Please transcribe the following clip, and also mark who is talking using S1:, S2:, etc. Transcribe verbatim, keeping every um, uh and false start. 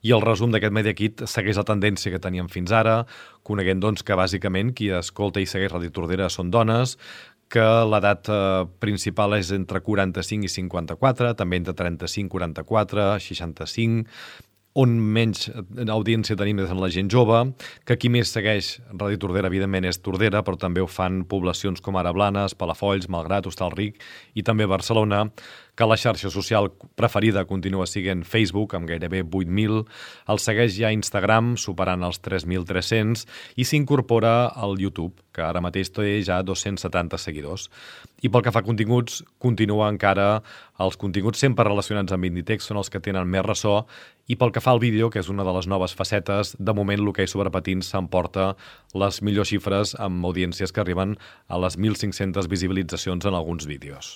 S1: I el resum d'aquest Media Kit segueix la tendència que teníem fins ara, coneguent doncs, que bàsicament qui escolta i segueix Ràdio Tordera són dones, que l'edat eh, principal és entre quaranta-cinc i cinquanta-quatre, també entre trenta-cinc, quaranta-quatre, seixanta-cinc, on menys audiència tenim és en la gent jove, que qui més segueix Ràdio Tordera, evidentment, és Tordera, però també ho fan poblacions com ara Blanes, Palafolls, Malgrat, Hostalric i també Barcelona, que la xarxa social preferida continua sent Facebook, amb gairebé vuit mil, el segueix ja Instagram, superant els tres mil tres-cents, i s'incorpora al YouTube, que ara mateix té ja dos-cents setanta seguidors. I pel que fa a continguts, continua encara els continguts sempre relacionats amb Inditex, són els que tenen més ressò, i pel que fa al vídeo, que és una de les noves facetes, de moment l'hoquei sobre patins s'emporta les millors xifres amb audiències que arriben a les mil cinc-centes visibilitzacions en alguns vídeos.